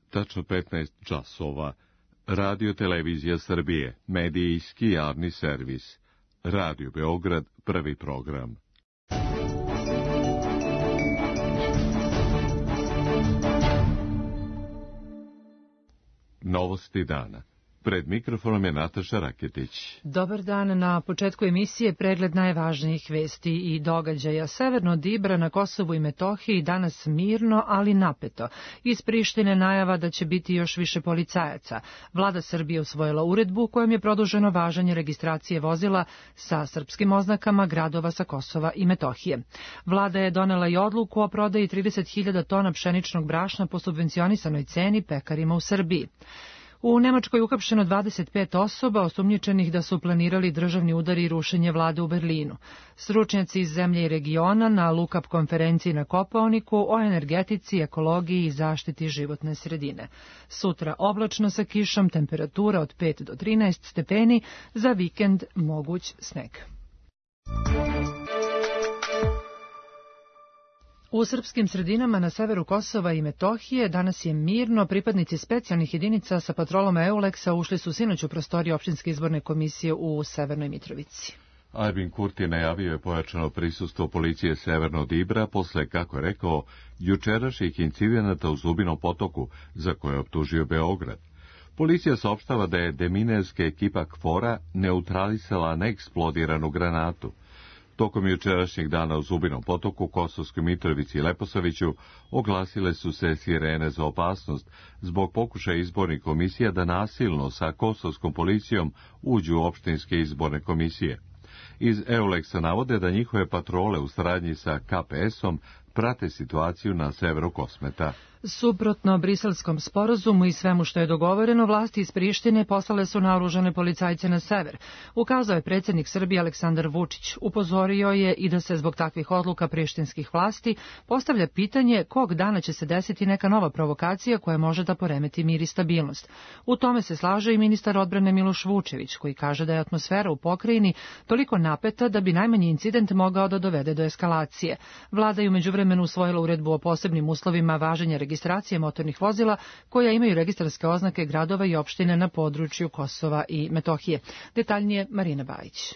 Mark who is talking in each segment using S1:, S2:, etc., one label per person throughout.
S1: tačno 15 časova. Radio Televizija Srbije, medijski javni servis. Radio Beograd, prvi program. Novosti dana. Pred mikrofonom je Nataša Raketić.
S2: Dobar dan. Na početku emisije pregled najvažnijih vesti i događaja. Severno od Ibra na Kosovu i Metohiji danas mirno, ali napeto. Iz Prištine najava da će biti još više policajaca. Vlada Srbije usvojila uredbu kojom je produženo važenje registracije vozila sa srpskim oznakama gradova sa Kosova i Metohije. Vlada je donela i odluku o prodaji 30.000 tona pšeničnog brašna po subvencionisanoj ceni pekarima u Srbiji. U Nemačkoj uhapšeno 25 osoba osumnjičenih da su planirali državni udar i rušenje vlade u Berlinu. Stručnjaci iz zemlje i regiona na Lukap konferenciji na Kopaoniku o energetici, ekologiji i zaštiti životne sredine. Sutra oblačno sa kišom, temperatura od 5 do 13 stepeni, za vikend moguć sneg. U srpskim sredinama na severu Kosova i Metohije danas je mirno. Pripadnici specijalnih jedinica sa patrolom EULEX-a ušli su sinoć u prostorije opštinske izborne komisije u Severnoj Mitrovici.
S1: Albin Kurti najavio je pojačano prisustvo policije severno od Ibra posle, kako je rekao, jučerašnjih incidenata u Zubinom potoku, za koje je optužio Beograd. Policija saopštava da je deminerska ekipa KFOR-a neutralisala neeksplodiranu granatu. Tokom jučerašnjeg dana u Zubinom potoku, Kosovskoj Mitrovici i Leposaviću oglasile su se sirene za opasnost zbog pokušaja izbornih komisija da nasilno sa kosovskom policijom uđu u opštinske izborne komisije. Iz EULEX-a navode da njihove patrole u saradnji sa KPS-om prate situaciju na severu Kosmeta.
S2: Suprotno briselskom sporazumu i svemu što je dogovoreno, vlasti iz Prištine poslale su naoružane policajce na sever. Ukazao je predsjednik Srbije Aleksandar Vučić. Upozorio je i da se zbog takvih odluka prištinskih vlasti postavlja pitanje kog dana će se desiti neka nova provokacija koja može da poremeti mir i stabilnost. U tome se slaže i ministar odbrane Miloš Vučević, koji kaže da je atmosfera u pokrajini toliko napeta da bi najmanji incident mogao da dovede do eskalacije. Vlada je u međuvremenu usvojila uredbu o posebnim uslovima važenja registracije motornih vozila koja imaju registarske oznake gradova i opštine na području Kosova i Metohije. Detaljnije Marina Bajić.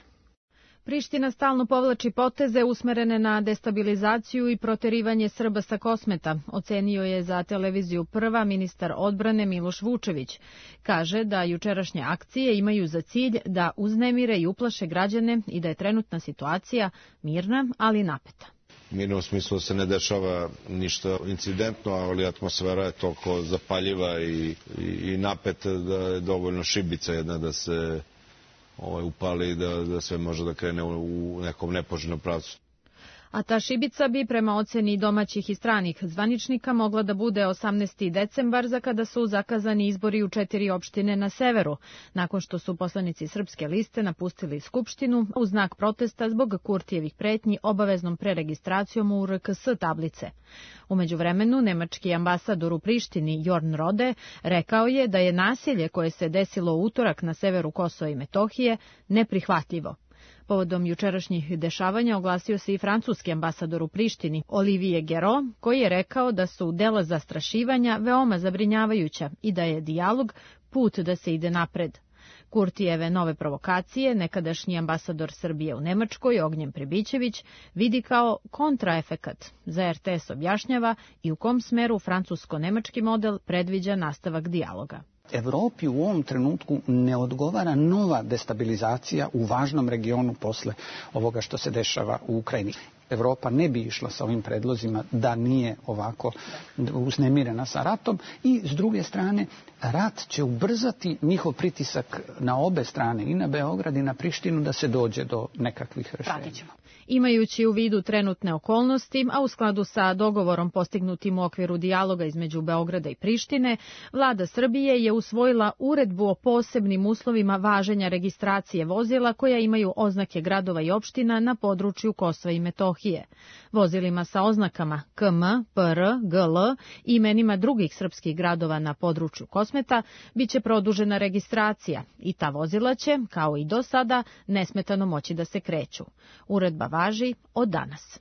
S3: Priština stalno povlači poteze usmerene na destabilizaciju i proterivanje Srba sa Kosmeta, ocenio je za televiziju Prva ministar odbrane Miloš Vučević. Kaže da jučerašnje akcije imaju za cilj da uznemire i uplaše građane i da je trenutna situacija mirna, ali napeta.
S4: Mirno u smislu se ne dešava ništa incidentno, ali atmosfera je toliko zapaljiva i napeta da je dovoljno šibica jedna da se upali, da sve može da krene u nekom nepoželjnom pravcu.
S3: A ta šibica bi prema oceni domaćih i stranih zvaničnika mogla da bude 18. decembar, za kada su zakazani izbori u 4 opštine na severu, nakon što su poslanici Srpske liste napustili Skupštinu u znak protesta zbog Kurtijevih pretnji obaveznom preregistracijom u RKS tablice. U međuvremenu, nemački ambasador u Prištini Jorn Rode rekao je da je nasilje koje se desilo u utorak na severu Kosova i Metohije neprihvatljivo. Povodom jučerašnjih dešavanja oglasio se i francuski ambasador u Prištini, Olivier Guéraud, koji je rekao da su dela zastrašivanja veoma zabrinjavajuća i da je dijalog put da se ide napred. Kurtijeve nove provokacije, nekadašnji ambasador Srbije u Nemačkoj, Ognjen Prebićević, vidi kao kontraefekat. Za RTS objašnjava i u kom smeru francusko-nemački model predviđa nastavak dijaloga.
S5: Evropi u ovom trenutku ne odgovara nova destabilizacija u važnom regionu posle ovoga što se dešava u Ukrajini. Evropa ne bi išla sa ovim predlozima da nije ovako uznemirena sa ratom i s druge strane rat će ubrzati njihov pritisak na obe strane, i na Beograd i na Prištinu, da se dođe do nekakvih rešenja.
S3: Imajući u vidu trenutne okolnosti, a u skladu sa dogovorom postignutim u okviru dijaloga između Beograda i Prištine, vlada Srbije je usvojila uredbu o posebnim uslovima važenja registracije vozila koja imaju oznake gradova i opština na području Kosova i Metohije. Vozilima sa oznakama KM, PR, GL i imenima drugih srpskih gradova na području Kosmeta biće produžena registracija i ta vozila će, kao i do sada, nesmetano moći da se kreću. Uredba važi od danas.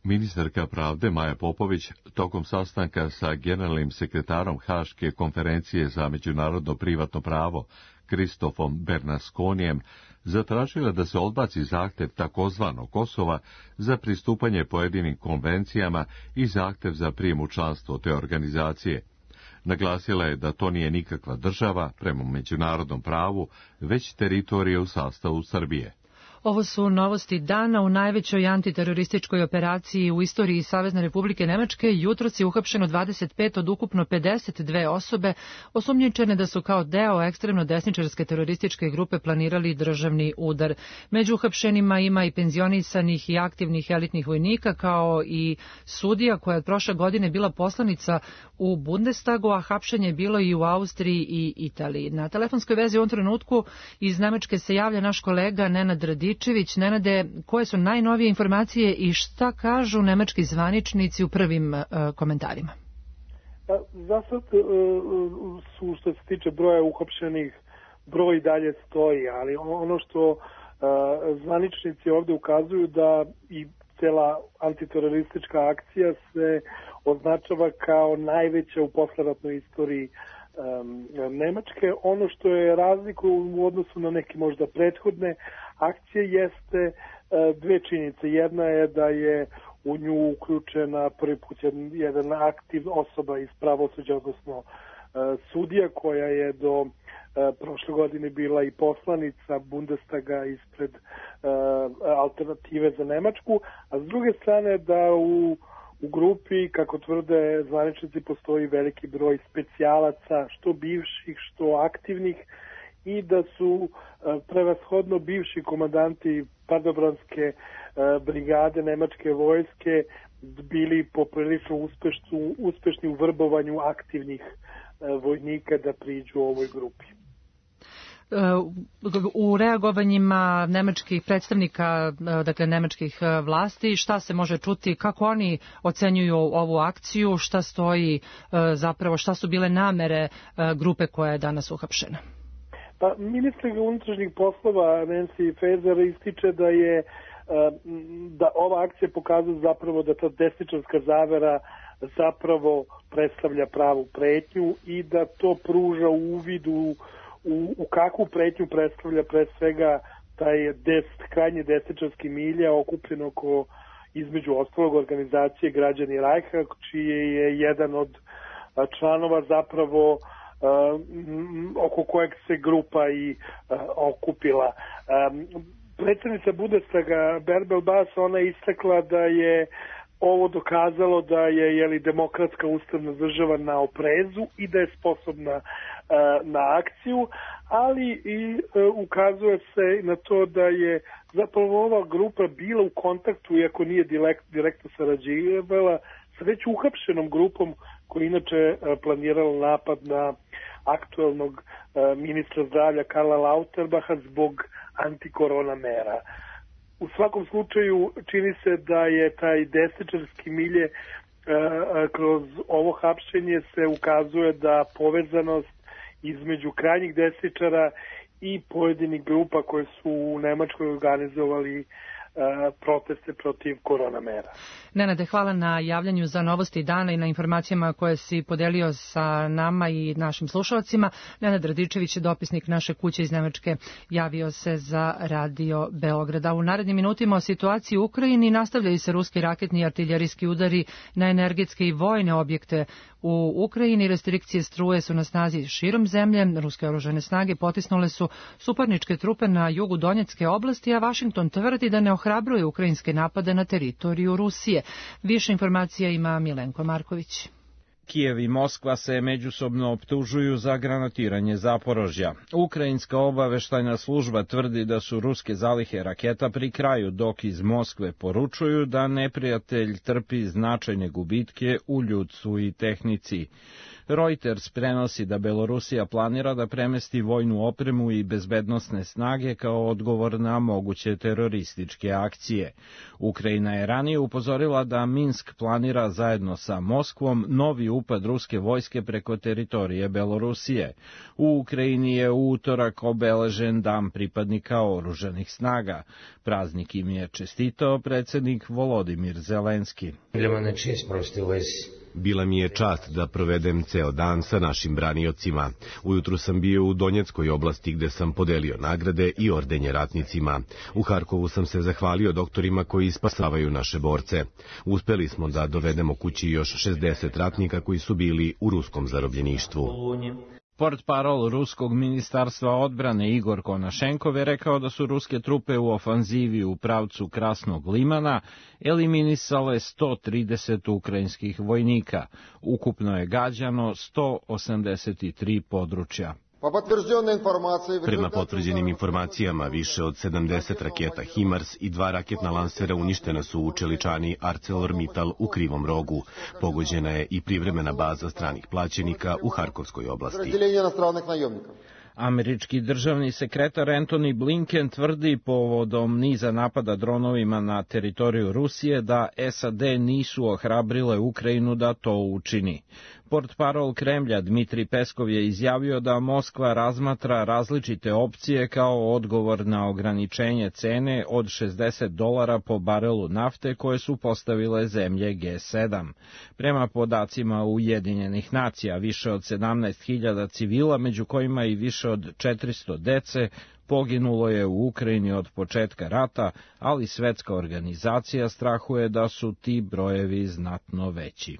S1: Ministarka pravde Maja Popović tokom sastanka sa generalnim sekretarom Haške konferencije za međunarodno privatno pravo Kristofom Bernasconijem zatražila da se odbaci zahtev takozvanog Kosova za pristupanje pojedinim konvencijama i zahtev za prijem u članstvo te organizacije. Naglasila je da to nije nikakva država prema međunarodnom pravu, već teritorija u sastavu Srbije.
S2: Ovo su novosti dana. U najvećoj antiterorističkoj operaciji u istoriji Savezne Republike Nemačke jutros je uhapšeno 25 od ukupno 52 osobe osumnjičene da su kao deo ekstremno desničarske terorističke grupe planirali državni udar. Među uhapšenima ima i penzionisanih i aktivnih elitnih vojnika, kao i sudija koja je prošle godine bila poslanica u Bundestagu, a hapšenje je bilo i u Austriji i Italiji. Na telefonskoj vezi u ovom trenutku iz Nemačke se javlja naš kolega Nenad Radičević. Nenade, koje su najnovije informacije i šta kažu nemački zvaničnici u prvim komentarima?
S6: Za sad su, što se tiče broja uhapšenih, broj dalje stoji, ali ono što zvaničnici ovdje ukazuju da i cela antiteroristička akcija se označava kao najveća u posleratnoj istoriji Nemačke. Ono što je razlika u odnosu na neke možda prethodne akcije jeste dve činjenice. Jedna je da je u nju uključena prvi put jedan aktiv osoba iz pravosuđa, odnosno sudija koja je do prošle godine bila i poslanica Bundestaga ispred Alternative za Nemačku, a s druge strane da u grupi, kako tvrde zvaničnici, postoji veliki broj specijalaca, što bivših, što aktivnih, i da su prevashodno bivši komandanti padobranske brigade nemačke vojske bili poprilično uspešni u vrbovanju aktivnih vojnika da priđu ovoj grupi.
S2: U reagovanjima nemačkih predstavnika, dakle nemačkih vlasti, šta se može čuti, kako oni ocenjuju ovu akciju, šta stoji zapravo, šta su bile namere grupe koja je danas uhapšena?
S6: Pa, ministar unutrašnjih poslova Nancy Faeser ističe da ova akcija pokazuje zapravo da ta desničarska zavera zapravo predstavlja pravu pretnju i da to pruža uvid u kakvu pretnju predstavlja pre svega taj krajnje desničarski milja okupljen oko, između ostalog, organizacije Građani Rajha, čiji je jedan od članova zapravo oko kojeg se grupa i okupila. Predsjednica Bundestaga Bärbel Baas, ona je istakla da je ovo dokazalo da je demokratska ustavna država na oprezu i da je sposobna na akciju, ali i ukazuje se na to da je zapravo ova grupa bila u kontaktu, iako nije direktno sarađivala, sa već uhapšenom grupom koja inače planirala napad na aktuelnog ministra zdravlja Karla Lauterbacha zbog antikorona mera. U svakom slučaju čini se da je taj desničarski milje kroz ovo hapšenje se ukazuje da povezanost između krajnjih desničara i pojedinih grupa koje su u Nemačkoj organizovali proteste protiv korona mera.
S2: Nenade, hvala na javljanju za novosti dana i na informacijama koje si podelio sa nama i našim slušalcima. Nenad Radičević, dopisnik naše kuće iz Nemačke, javio se za Radio Beograda. U narednim minutima o situaciji u Ukrajini nastavljaju se ruski raketni i artiljerijski udari na energetske i vojne objekte u Ukrajini. Restrikcije struje su na snazi širom zemlje. Ruske oružane snage potisnule su suparničke trupe na jugu Donjecke oblasti, a Vašington tvrdi da ne ohrabruje ukrajinske napade na teritoriju Rusije. Više informacija ima Milenko Marković.
S7: Kijev i Moskva se međusobno optužuju za granatiranje Zaporožja. Ukrajinska obaveštajna služba tvrdi da su ruske zalihe raketa pri kraju, dok iz Moskve poručuju da neprijatelj trpi značajne gubitke u ljudstvu i tehnici. Reuters prenosi da Belorusija planira da premesti vojnu opremu i bezbednosne snage kao odgovor na moguće terorističke akcije. Ukrajina je ranije upozorila da Minsk planira zajedno sa Moskvom novi upad ruske vojske preko teritorije Belorusije. U Ukrajini je u utorak obeležen Dan pripadnika oružanih snaga. Praznik im je čestitao predsjednik Volodimir Zelenski.
S8: Bila mi je čast da provedem ceo dan sa našim braniocima. Ujutru sam bio u Donjeckoj oblasti gde sam podelio nagrade i ordenje ratnicima. U Harkovu sam se zahvalio doktorima koji spasavaju naše borce. Uspeli smo da dovedemo kući još 60 ratnika koji su bili u ruskom zarobljeništvu.
S7: Portparol ruskog ministarstva odbrane Igor Konašenkov je rekao da su ruske trupe u ofanzivi u pravcu Krasnog Limana eliminisale 130 ukrajinskih vojnika. Ukupno je gađano 183 područja.
S8: Prema potvrđenim informacijama, više od 70 raketa HIMARS i 2 raketna lansera uništena su u čeličani ArcelorMittal u Krivom Rogu. Pogođena je i privremena baza stranih plaćenika u Harkovskoj oblasti.
S7: Američki državni sekretar Antony Blinken tvrdi povodom niza napada dronovima na teritoriju Rusije da SAD nisu ohrabrile Ukrajinu da to učini. Portparol Kremlja Dmitri Peskov je izjavio da Moskva razmatra različite opcije kao odgovor na ograničenje cene od $60 po barelu nafte koje su postavile zemlje G7. Prema podacima Ujedinjenih nacija, više od 17.000 civila, među kojima i više od 400 dece, poginulo je u Ukrajini od početka rata, ali Svetska organizacija strahuje da su ti brojevi znatno veći.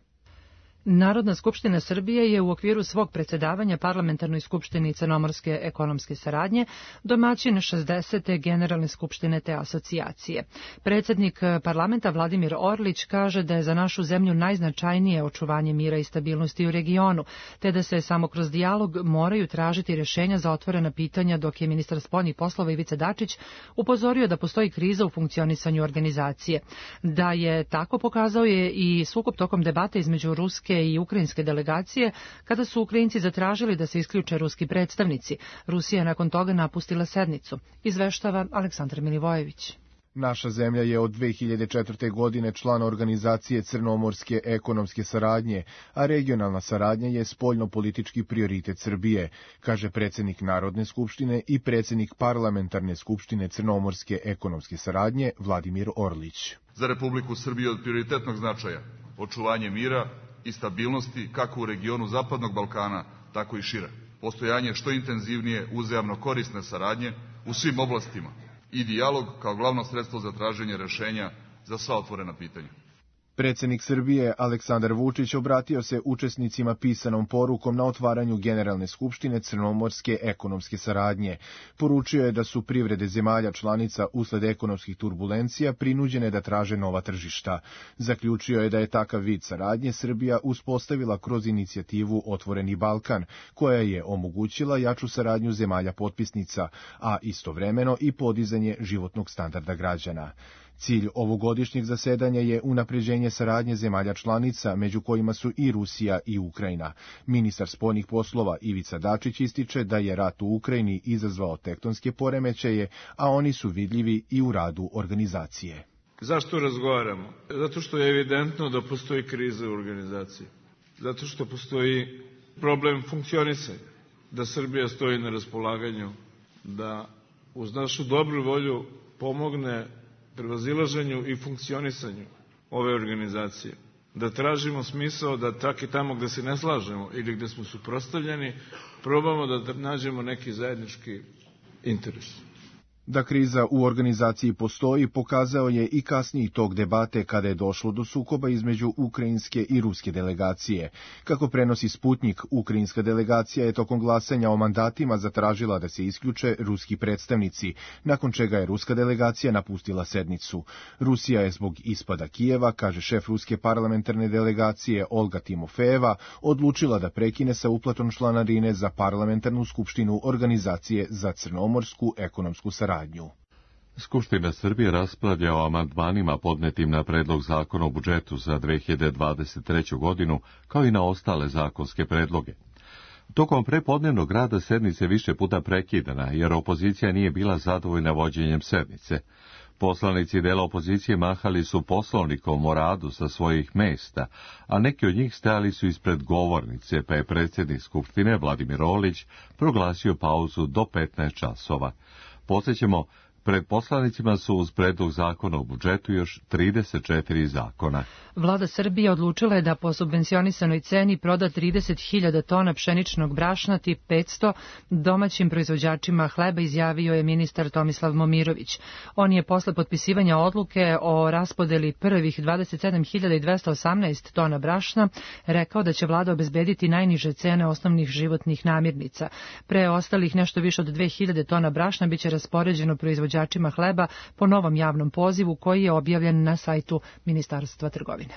S2: Narodna skupština Srbije je u okviru svog predsjedavanja Parlamentarnoj skupštini Crnomorske ekonomske saradnje domaćin 60. Generalne skupštine te asocijacije. Predsjednik parlamenta Vladimir Orlić kaže da je za našu zemlju najznačajnije očuvanje mira i stabilnosti u regionu, te da se samo kroz dijalog moraju tražiti rješenja za otvorena pitanja, dok je ministar spoljnih poslova Ivica Dačić upozorio da postoji kriza u funkcionisanju organizacije. Da je tako pokazao je i sukob tokom debate između ruske i ukrajinske delegacije, kada su Ukrajinci zatražili da se isključe ruski predstavnici. Rusija je nakon toga napustila sednicu. Izveštava Aleksandar Milivojević.
S9: Naša zemlja je od 2004. godine član organizacije Crnomorske ekonomske saradnje, a regionalna saradnja je spoljno-politički prioritet Srbije, kaže predsjednik Narodne skupštine i predsjednik Parlamentarne skupštine Crnomorske ekonomske saradnje Vladimir Orlić.
S10: Za Republiku Srbiju od prioritetnog značaja očuvanje mira i stabilnosti kako u regionu Zapadnog Balkana, tako i šire. Postojanje što intenzivnije uzajamno korisne saradnje u svim oblastima i dijalog kao glavno sredstvo za traženje rešenja za sva otvorena pitanja.
S9: Predsjednik Srbije Aleksandar Vučić obratio se učesnicima pisanom porukom na otvaranju Generalne skupštine Crnomorske ekonomske saradnje. Poručio je da su privrede zemalja članica usled ekonomskih turbulencija prinuđene da traže nova tržišta. Zaključio je da je takav vid saradnje Srbija uspostavila kroz inicijativu Otvoreni Balkan, koja je omogućila jaču saradnju zemalja potpisnica, a istovremeno i podizanje životnog standarda građana. Cilj ovogodišnjeg zasedanja je unapređenje saradnje zemalja članica, među kojima su i Rusija i Ukrajina. Ministar spoljnih poslova Ivica Dačić ističe da je rat u Ukrajini izazvao tektonske poremećaje, a oni su vidljivi i u radu organizacije.
S11: Zašto razgovaramo? Zato što je evidentno da postoji kriza u organizaciji. Zato što postoji problem funkcionisanja. Da Srbija stoji na raspolaganju, da uz našu dobru volju pomogne prevazilaženju i funkcionisanju ove organizacije. Da tražimo smisao da tak i tamo gde se ne slažemo ili gde smo suprotstavljeni, probamo da nađemo neki zajednički interes.
S9: Da kriza u organizaciji postoji, pokazao je i kasniji tok debate kada je došlo do sukoba između ukrajinske i ruske delegacije. Kako prenosi Sputnjik, ukrajinska delegacija je tokom glasanja o mandatima zatražila da se isključe ruski predstavnici, nakon čega je ruska delegacija napustila sednicu. Rusija je zbog ispada Kijeva, kaže šef ruske parlamentarne delegacije Olga Timofejeva, odlučila da prekine sa uplatom članarine za parlamentarnu skupštinu Organizacije za crnomorsku ekonomsku saradnju.
S1: Skupština Srbije raspravlja o amandmanima podnetim na predlog zakona o budžetu za 2023. godinu, kao i na ostale zakonske predloge. Tokom prepodnevnog rada sednice više puta prekidana, jer opozicija nije bila zadovoljna vođenjem sednice. Poslanici dela opozicije mahali su Poslovnikom o radu sa svojih mesta, a neki od njih stajali su ispred govornice, pa je predsjednik Skupštine Vladimir Orlić proglasio pauzu do 15 časova. Podsećamo, pred poslanicima su uz predlog zakona o budžetu još 34 zakona.
S2: Vlada Srbije odlučila je da po subvencionisanoj ceni proda 30.000 tona pšeničnog brašna tip 500 domaćim proizvođačima hleba, izjavio je ministar Tomislav Momirović. On je posle potpisivanja odluke o raspodeli prvih 27.218 tona brašna rekao da će vlada obezbediti najniže cene osnovnih životnih namirnica. Preostalih nešto više od 2.000 tona brašna biće raspoređeno proizvođačima hleba po novom javnom pozivu koji je objavljen na sajtu Ministarstva trgovine.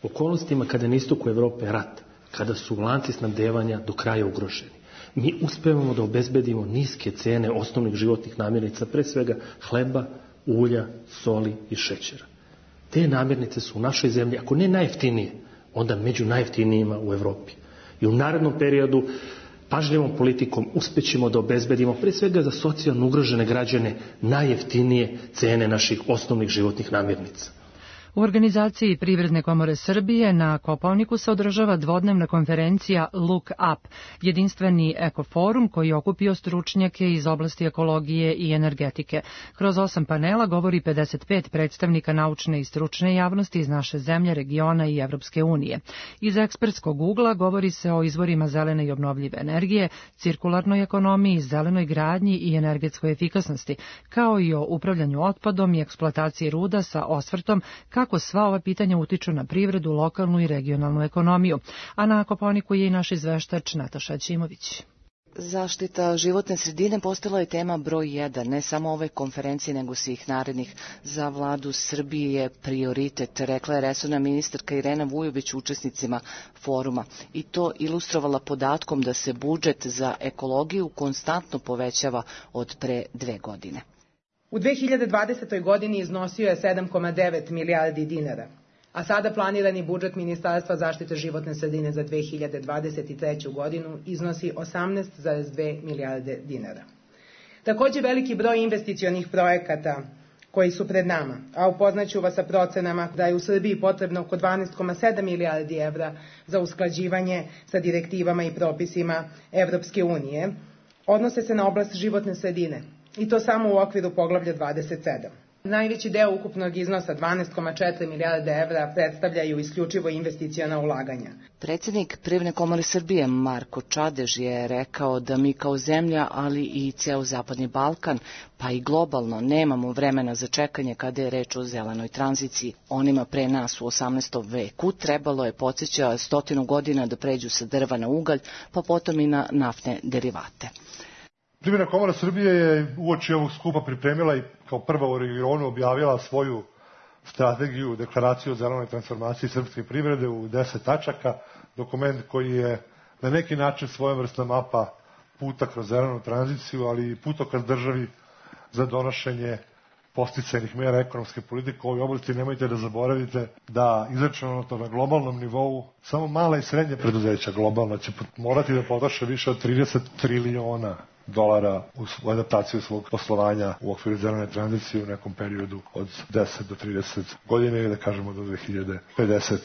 S12: U okolnostima kada na istoku Evrope rat, kada su lanci snabdevanja do kraja ugroženi, mi uspevamo da obezbedimo niske cene osnovnih životnih namirnica, pre svega hleba, ulja, soli i šećera. Te namirnice su u našoj zemlji, ako ne najjeftinije, onda među najjeftinijima u Evropi. I u narednom periodu pažljivom politikom uspećemo da obezbedimo pre svega za socijalno ugrožene građane najjeftinije cene naših osnovnih životnih namirnica.
S2: U organizaciji Privredne komore Srbije na Kopaoniku se održava dvodnevna konferencija Look Up, jedinstveni ekoforum koji je okupio stručnjake iz oblasti ekologije i energetike. Kroz 8 panela govori 55 predstavnika naučne i stručne javnosti iz naše zemlje, regiona i Evropske unije. Iz ekspertskog ugla govori se o izvorima zelene i obnovljive energije, cirkularnoj ekonomiji, zelenoj gradnji i energetskoj efikasnosti, kao i o upravljanju otpadom i eksploataciji ruda sa osvrtom kako sva ova pitanja utiču na privredu, lokalnu i regionalnu ekonomiju. A na Kopaoniku je i naš izveštač Nataša Ćimović.
S13: Zaštita životne sredine postala je tema broj 1, ne samo ove konferencije, nego svih narednih. Za vladu Srbije je prioritet, rekla je resorna ministarka Irena Vujović učesnicima foruma. I to ilustrovala podatkom da se budžet za ekologiju konstantno povećava od pre 2 godine.
S14: U 2020. godini iznosio je 7,9 milijardi dinara, a sada planirani budžet Ministarstva zaštite životne sredine za 2023. godinu iznosi 18,2 milijarde dinara. Takođe veliki broj investicionih projekata koji su pred nama, a upoznaću vas sa procenama da je u Srbiji potrebno oko 12,7 milijardi evra za usklađivanje sa direktivama i propisima Evropske unije, odnose se na oblast životne sredine. I to samo u okviru poglavlja 27. Najveći deo ukupnog iznosa 12,4 milijarde evra predstavljaju isključivo investiciona ulaganja.
S13: Predsjednik Privredne komore Srbije Marko Čadež je rekao da mi kao zemlja, ali i ceo Zapadni Balkan, pa i globalno, nemamo vremena za čekanje kada je reč o zelenoj tranziciji. Onima pre nas u 18. veku trebalo je, podsjeća, 100 godina da pređu sa drva na ugalj, pa potom i na naftne derivate.
S15: Privredna komora Srbije je uoči ovog skupa pripremila i kao prva u regionu objavila svoju strategiju, deklaraciju o zelenoj transformaciji srpske privrede u 10 tačaka, dokument koji je na neki način svojevrsna mapa puta kroz zelenu tranziciju, ali i putokaz državi za donošenje podsticajnih mera ekonomske politike u ovoj oblasti. Nemojte da zaboravite da izračunato na globalnom nivou samo mala i srednja preduzeća globalna će morati da potroše više od 30 trilijona dolara u adaptaciju svog poslovanja u okviru zelene tranzicije u nekom periodu od 10 do 30 godina ili da kažemo do 2050.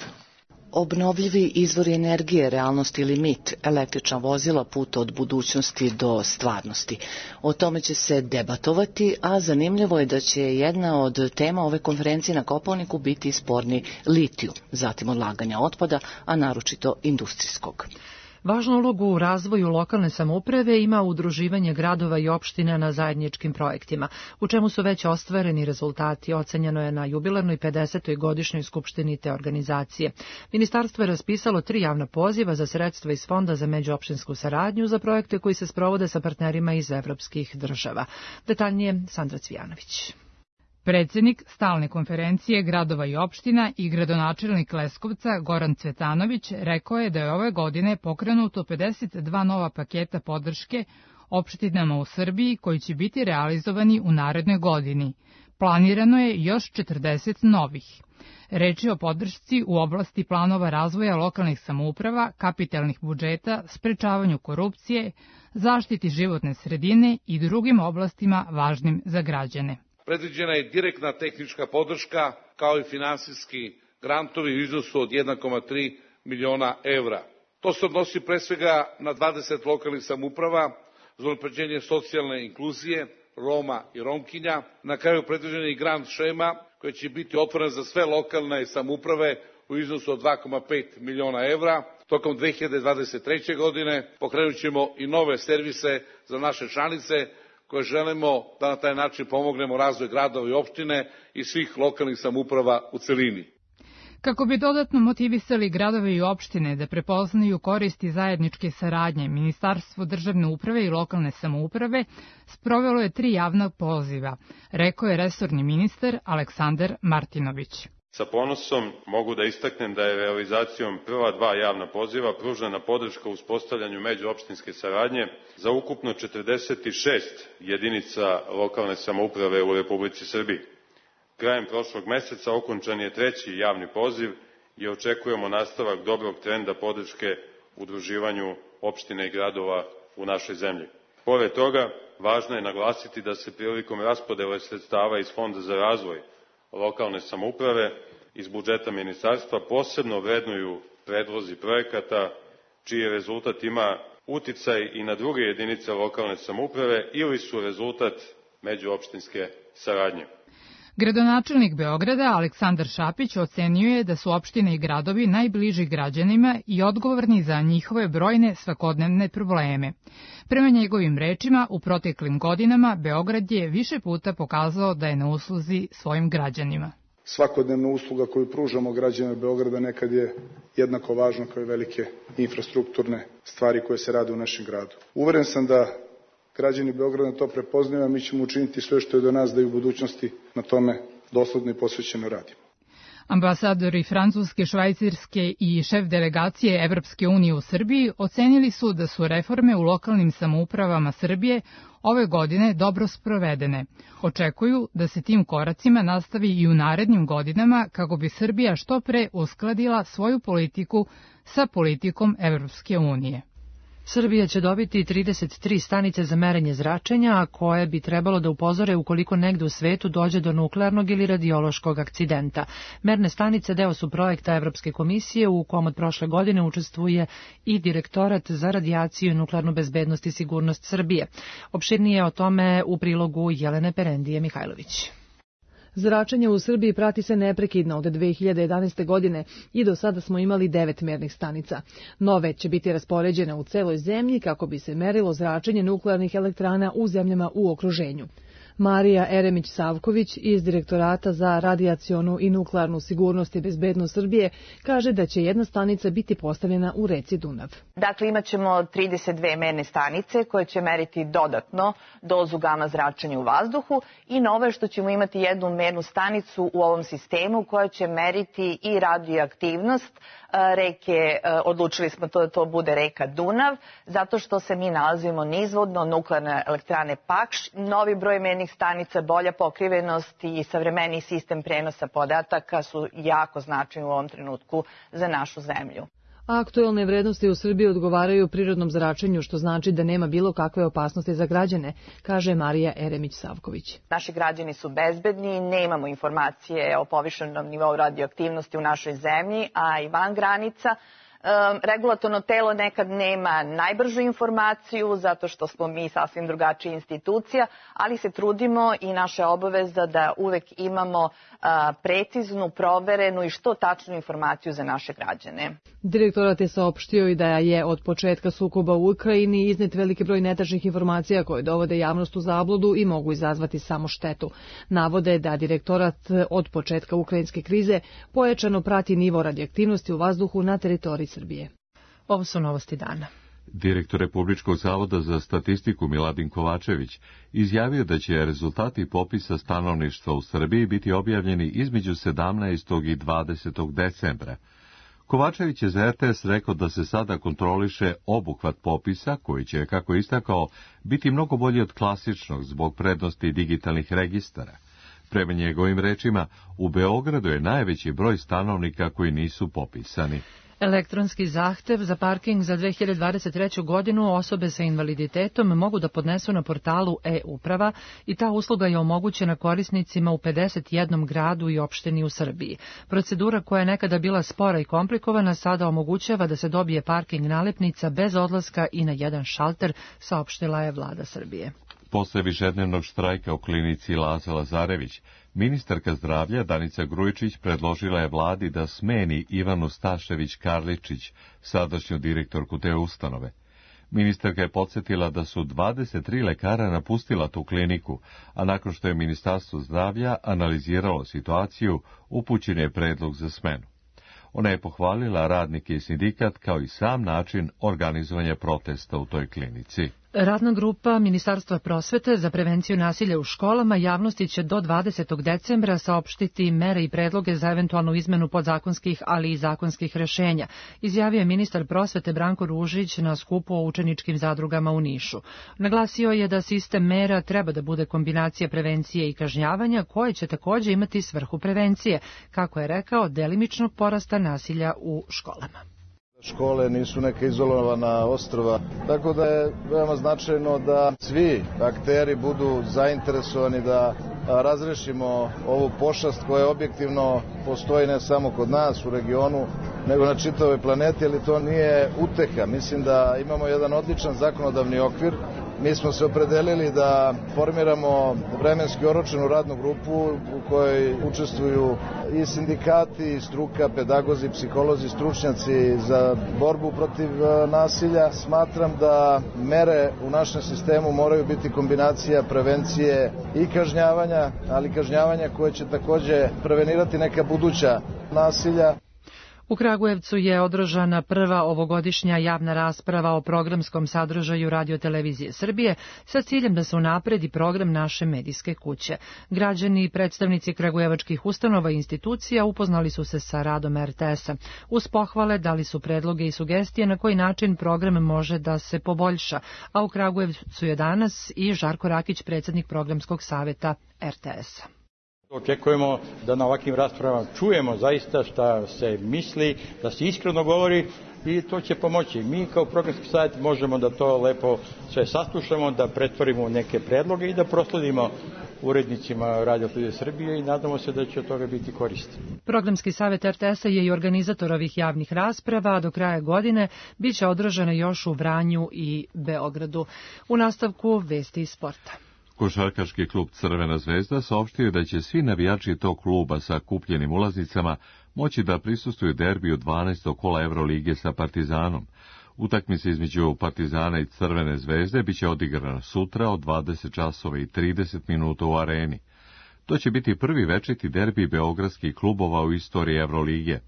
S13: Obnovljivi izvori energije, realnost ili mit, električna vozila, put od budućnosti do stvarnosti. O tome će se debatovati, a zanimljivo je da će jedna od tema ove konferencije na Kopaoniku biti sporni litiju, zatim odlaganja otpada, a naročito industrijskog.
S2: Važnu ulogu u razvoju lokalne samouprave ima udruživanje gradova i opština na zajedničkim projektima, u čemu su već ostvareni rezultati, ocenjeno je na jubilarnoj 50. godišnjoj skupštini te organizacije. Ministarstvo je raspisalo 3 javna poziva za sredstva iz Fonda za međuopštinsku saradnju za projekte koji se sprovode sa partnerima iz evropskih država. Detaljnije Sandra Cvijanović.
S16: Predsjednik stalne konferencije gradova i opština i gradonačelnik Leskovca Goran Cvetanović rekao je da je ove godine pokrenuto 52 nova paketa podrške opštinama u Srbiji koji će biti realizovani u narednoj godini. Planirano je još 40 novih. Reč je o podršci u oblasti planova razvoja lokalnih samouprava, kapitalnih budžeta, sprečavanju korupcije, zaštiti životne sredine i drugim oblastima važnim za građane.
S17: Predviđena je direktna tehnička podrška kao i finansijski grantovi u iznosu od 1,3 miliona evra. To se odnosi pre svega na 20 lokalnih samouprava za unapređenje socijalne inkluzije, Roma i Romkinja. Na kraju predviđena je i grant šema koja će biti otvorena za sve lokalne samouprave u iznosu od 2,5 miliona evra. Tokom 2023. godine pokrenut ćemo i nove servise za naše članice koje želimo da na taj način pomognemo razvoj gradova i opštine i svih lokalnih samouprava u celini.
S16: Kako bi dodatno motivisali gradove i opštine da prepoznaju koristi zajedničke saradnje, Ministarstvo državne uprave i lokalne samouprave sprovelo je 3 javna poziva, rekao je resorni ministar Aleksandar Martinović.
S18: Sa ponosom mogu da istaknem da je realizacijom prva 2 javna poziva pružena podrška u uspostavljanju međuopštinske saradnje za ukupno 46 jedinica lokalne samouprave u Republici Srbiji. Krajem prošlog meseca okončan je 3. javni poziv i očekujemo nastavak dobrog trenda podrške udruživanju opština i gradova u našoj zemlji. Pored toga, važno je naglasiti da se prilikom raspodele sredstava iz Fonda za razvoj lokalne samouprave iz budžeta ministarstva posebno vrednuju predlozi projekata čiji rezultat ima uticaj i na druge jedinice lokalne samouprave ili su rezultat međuopštinske saradnje.
S16: Gradonačelnik Beograda Aleksandar Šapić ocenio je da su opštine i gradovi najbliži građanima i odgovorni za njihove brojne svakodnevne probleme. Prema njegovim rečima, u proteklim godinama Beograd je više puta pokazao da je na usluzi svojim građanima.
S19: Svakodnevna usluga koju pružamo građanima Beograda nekad je jednako važna kao i velike infrastrukturne stvari koje se rade u našem gradu. Uveren sam da građani Beograda to prepoznaju, a mi ćemo učiniti sve što je do nas da i u budućnosti na tome dosledno i posvećeno radimo.
S16: Ambasadori Francuske, Švajcarske i šef delegacije Evropske unije u Srbiji ocenili su da su reforme u lokalnim samoupravama Srbije ove godine dobro sprovedene. Očekuju da se tim koracima nastavi i u narednim godinama kako bi Srbija što pre uskladila svoju politiku sa politikom Evropske unije.
S2: Srbija će dobiti 33 stanice za merenje zračenja, koje bi trebalo da upozore ukoliko negde u svetu dođe do nuklearnog ili radiološkog akcidenta. Merne stanice deo su projekta Evropske komisije u kom od prošle godine učestvuje i Direktorat za radijaciju i nuklearnu bezbednost i sigurnost Srbije. Opširnije o tome u prilogu Jelene Perendije Mihajlović.
S20: Zračenje u Srbiji prati se neprekidno od 2011. godine i do sada smo imali 9 mernih stanica. Nove će biti raspoređene u celoj zemlji kako bi se merilo zračenje nuklearnih elektrana u zemljama u okruženju. Marija Eremić-Savković iz Direktorata za radijacionu i nuklearnu sigurnost i bezbednost Srbije kaže da će jedna stanica biti postavljena u reci Dunav.
S21: Dakle, imat ćemo 32 merne stanice koje će meriti dodatno dozu gama zračenja u vazduhu i novo je što ćemo imati jednu mernu stanicu u ovom sistemu koja će meriti i radioaktivnost reke, odlučili smo da to bude reka Dunav, zato što se mi nalazimo nizvodno nuklearne elektrane Pakš. Novi broj mernih stanica, bolja pokrivenost i savremeniji sistem prenosa podataka su jako značajni u ovom trenutku za našu zemlju.
S20: Aktuelne vrednosti u Srbiji odgovaraju prirodnom zračenju, što znači da nema bilo kakve opasnosti za građane, kaže Marija Eremić-Savković.
S21: Naši građani su bezbedni, nemamo informacije o povišenom nivou radioaktivnosti u našoj zemlji, a i van granica. Regulatorno telo nekad nema najbržu informaciju zato što smo mi sasvim drugačija institucija, ali se trudimo i naša obaveza da uvek imamo preciznu, proverenu i što tačnu informaciju za naše građane.
S20: Direktorat je saopštio i da je od početka sukoba u Ukrajini iznet veliki broj netačnih informacija koje dovode javnost u zabludu i mogu izazvati samo štetu. Navode da direktorat od početka ukrajinske krize pojačano prati nivo radioaktivnosti u vazduhu na teritoriji Srbije.
S2: Ovo su novosti dana.
S1: Direktor Republičkog zavoda za statistiku Miladin Kovačević izjavio da će rezultati popisa stanovništva u Srbiji biti objavljeni između 17. i 20. decembra. Kovačević je za RTS rekao da se sada kontroliše obuhvat popisa, koji će, kako je istakao, biti mnogo bolji od klasičnog zbog prednosti digitalnih registara. Prema njegovim rečima, u Beogradu je najveći broj stanovnika koji nisu popisani.
S2: Elektronski zahtev za parking za 2023. godinu osobe sa invaliditetom mogu da podnesu na portalu e-uprava i ta usluga je omogućena korisnicima u 51 gradu i opštini u Srbiji. Procedura koja je nekada bila spora i komplikovana sada omogućava da se dobije parking nalepnica bez odlaska i na jedan šalter, saopštila je vlada Srbije.
S1: Posle višednevnog štrajka u klinici Laza Lazarević, ministarka zdravlja Danica Grujičić predložila je vladi da smeni Ivanu Stašević-Karličić, sadašnju direktorku te ustanove. Ministarka je podsjetila da su 23 lekara napustila tu kliniku, a nakon što je Ministarstvo zdravlja analiziralo situaciju, upućen je predlog za smenu. Ona je pohvalila radnike i sindikat kao i sam način organizovanja protesta u toj klinici.
S2: Radna grupa Ministarstva prosvete za prevenciju nasilja u školama javnosti će do 20. decembra saopštiti mere i predloge za eventualnu izmenu podzakonskih, ali i zakonskih rešenja, izjavio je ministar prosvete Branko Ružić na skupu o učeničkim zadrugama u Nišu. Naglasio je da sistem mera treba da bude kombinacija prevencije i kažnjavanja, koje će takođe imati svrhu prevencije, kako je rekao, delimičnog porasta nasilja u školama.
S4: Škole nisu neka izolovana ostrva, tako da je veoma značajno da svi akteri budu zainteresovani da razrešimo ovu pošast koja objektivno postoji ne samo kod nas u regionu, nego na čitavoj planeti, ali to nije uteha. Mislim da imamo jedan odličan zakonodavni okvir. Mi smo se opredelili da formiramo vremenski oročenu radnu grupu u kojoj učestvuju i sindikati, i struka, pedagozi, psiholozi, stručnjaci za borbu protiv nasilja. Smatram da mere u našem sistemu moraju biti kombinacija prevencije i kažnjavanja, ali kažnjavanja koje će takođe prevenirati neka buduća nasilja.
S2: U Kragujevcu je održana prva ovogodišnja javna rasprava o programskom sadržaju Radio-televizije Srbije sa ciljem da se unapredi program naše medijske kuće. Građani i predstavnici kragujevačkih ustanova i institucija upoznali su se sa radom RTS-a. Uz pohvale dali su predloge i sugestije na koji način program može da se poboljša, a u Kragujevcu je danas i Žarko Rakić, predsjednik programskog saveta RTS-a.
S22: Očekujemo da na ovakvim raspravama čujemo zaista šta se misli, da se iskreno govori i to će pomoći. Mi kao programski savjet možemo da to lepo sve saslušamo, da pretvorimo neke predloge i da prosledimo urednicima Radio-televizije Srbije i nadamo se da će od toga biti koristi.
S2: Programski savjet RTS-a je i organizator ovih javnih rasprava, a do kraja godine biće održane još u Vranju i Beogradu. U nastavku vesti iz sporta.
S1: Košarkaški klub Crvena zvezda saopštio da će svi navijači tog kluba sa kupljenim ulaznicama moći da prisustvuju derbiju 12. kola Evrolige sa Partizanom. Utakmica između Partizana i Crvene zvezde biće odigrana sutra od 20 časova i 30 minuta u areni. To će biti prvi večiti derbi beogradskih klubova u istoriji Evrolige.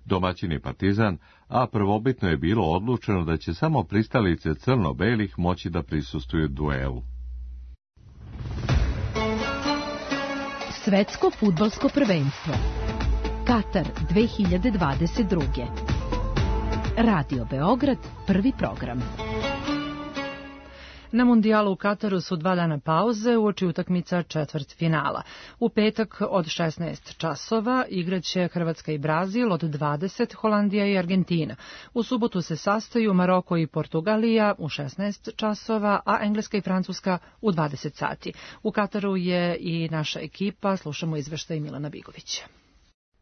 S1: Domaćin je Partizan, a prvobitno je bilo odlučeno da će samo pristalice crno-belih moći da prisustvuju duelu.
S23: Svetsko fudbalsko prvenstvo Katar 2022. Radio Beograd, prvi program.
S2: Na mundijalu u Kataru su 2 dana pauze uoči utakmica četvrtfinala. U petak od 16 časova igraće Hrvatska i Brazil, od 20 Holandija i Argentina. U subotu se sastaju Maroko i Portugalija u 16 časova, a Engleska i Francuska u 20 sati. U Kataru je i naša ekipa, slušamo izveštaj Milana Bigovića.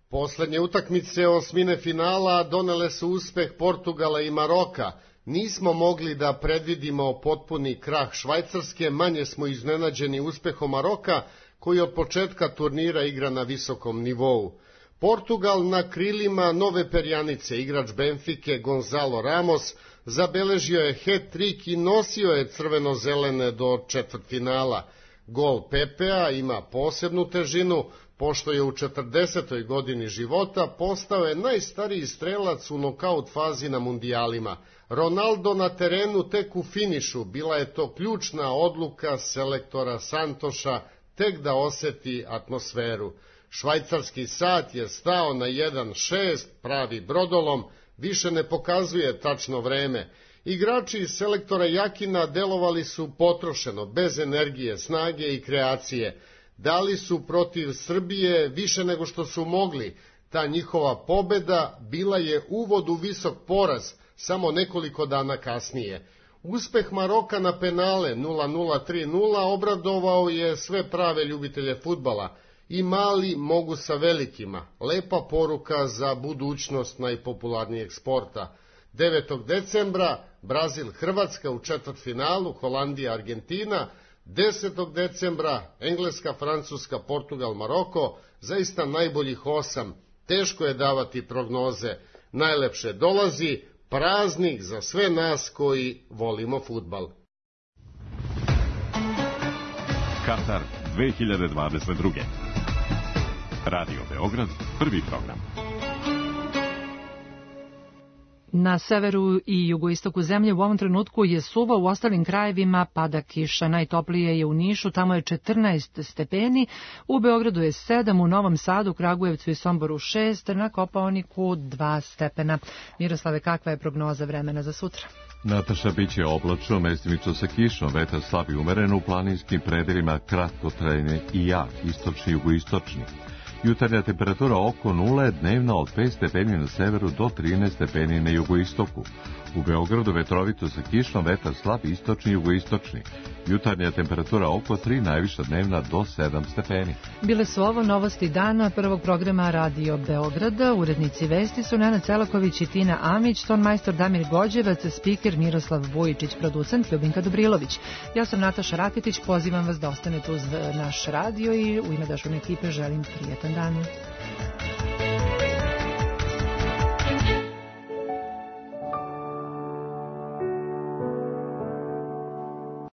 S24: Poslednje utakmice osmine finala donele su uspeh Portugala i Maroka. Nismo mogli da predvidimo potpuni krah Švajcarske, manje smo iznenađeni uspehom Maroka, koji od početka turnira igra na visokom nivou. Portugal na krilima nove perjanice, igrač Benfike Gonzalo Ramos, zabeležio je hat-trick i nosio je crveno-zelene do četvrtfinala. Gol Pepea ima posebnu težinu, pošto je u 40. godini života postao je najstariji strelac u nokaut fazi na mundijalima. Ronaldo na terenu tek u finišu, bila je to ključna odluka selektora Santoša, tek da oseti atmosferu. Švajcarski sat je stao na 1.6, pravi brodolom, više ne pokazuje tačno vreme. Igrači iz selektora Jakina delovali su potrošeno, bez energije, snage i kreacije. Dali su protiv Srbije više nego što su mogli. Ta njihova pobeda bila je uvod u visok poraz samo nekoliko dana kasnije. Uspeh Maroka na penale 0-0-3-0 obradovao je sve prave ljubitelje fudbala. I mali mogu sa velikima. Lepa poruka za budućnost najpopularnijeg sporta. 9. decembra Brazil-Hrvatska u četvrtfinalu, Holandija-Argentina. 10. decembra Engleska, Francuska, Portugal, Maroko. Zaista najboljih 8. Teško je davati prognoze. Najlepše dolazi, praznik za sve nas koji volimo fudbal.
S3: Katar 2022. Radio Beograd, prvi program.
S2: Na severu i jugoistoku zemlje u ovom trenutku je suvo, u ostalim krajevima pada kiša. Najtoplije je u Nišu, tamo je 14 stepeni, u Beogradu je 7, u Novom Sadu, Kragujevcu i Somboru 6, na Kopaoniku 2 stepena. Miroslave, kakva je prognoza vremena za sutra?
S1: Nataša, biće oblačno, mestimično sa kišom, vetar slab i umeren, u planinskim predelima kratkotrajni i jak, istočni i jugoistočni. Jutarnja temperatura oko 0, dnevna od 5 stepeni na severu do 13 stepeni na jugoistoku. U Beogradu vetrovito sa kišom, vetar slab istočni i jugoistočni. Jutarnja temperatura oko 3, najviša dnevna do 7 stepeni.
S2: Bile su ovo novosti dana prvog programa Radio Beograda. Urednici vesti su Nenad Celaković i Tina Amić, tonmajstor Damir Gođevac, spiker Miroslav Vujičić, producent Ljubinka Dobrilović. Ja sam Nataša Rakitić, pozivam vas da ostanete uz naš radio i u ime Dašovne ekipe želim prijetan dan.